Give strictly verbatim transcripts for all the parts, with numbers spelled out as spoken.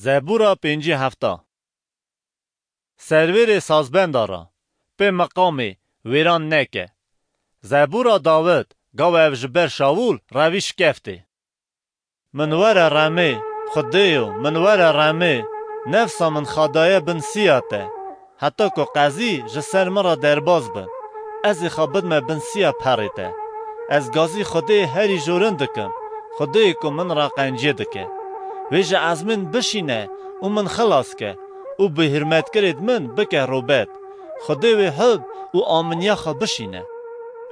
Zebûra pêncî hefta. Servêrê sazbenda ra, pê meqamê wêran neke. Zebûra Dawid, gawa ev ji ber Şawûl revî şikeftê. Min were remê, Xwedêyo, min were remê, nefsa min xadaye bin siya te, heta ku qezî ji ser min re derbas bin, ez ê xwe bidme bin siya perê te. Ez gazî Xwedêyê herî jorin dikim, Xwedêyê ku min re qenciyê dike. Wê ji ezmên bişîne û min xilas ke û bi hurmetkirêd min bike robet. Xwedê wê hub û aminiya xwe bişîne.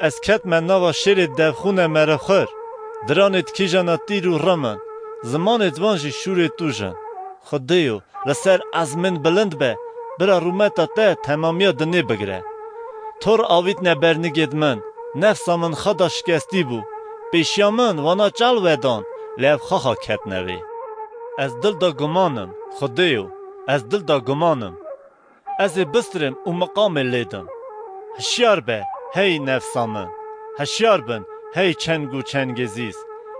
Ez ketme nava şêrê devxûne merivxwir, diranêd kîjana tîr û rim in, zimanêd wan jî şûrê tûj in. Xwedêyo, li ser ezmên bilind be, bira rûmeta te temamiya dinê bigire. Tor avîtne bernigêd min, nefsa min xwe da şikestî bû. Pêşiya min wana çal vedan, lê ev xwexa ketne vê. Ez dil da guman im, Xwedêyo, ez dil da guman im. Ez ê bistirim û miqamê lê dim. Hişyar be, hey nefsa min! Hişyar bin, hey çeng û çengêzîz!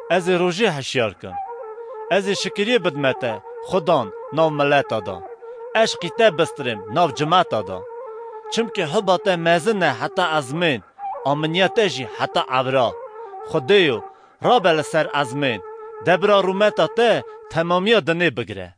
Ez ê rojê hişyar kim. Ez ê şikiriyê bidme te, Xudan, nav mileta da. Eşqî te bistirêm nav cimeta da. Çimkî huba te mezin e heta ezmên, aminiya te jî heta evra. Xwedêyo, rabe li ser ezmên, de bira rûmeta te temamiya dinê bigire.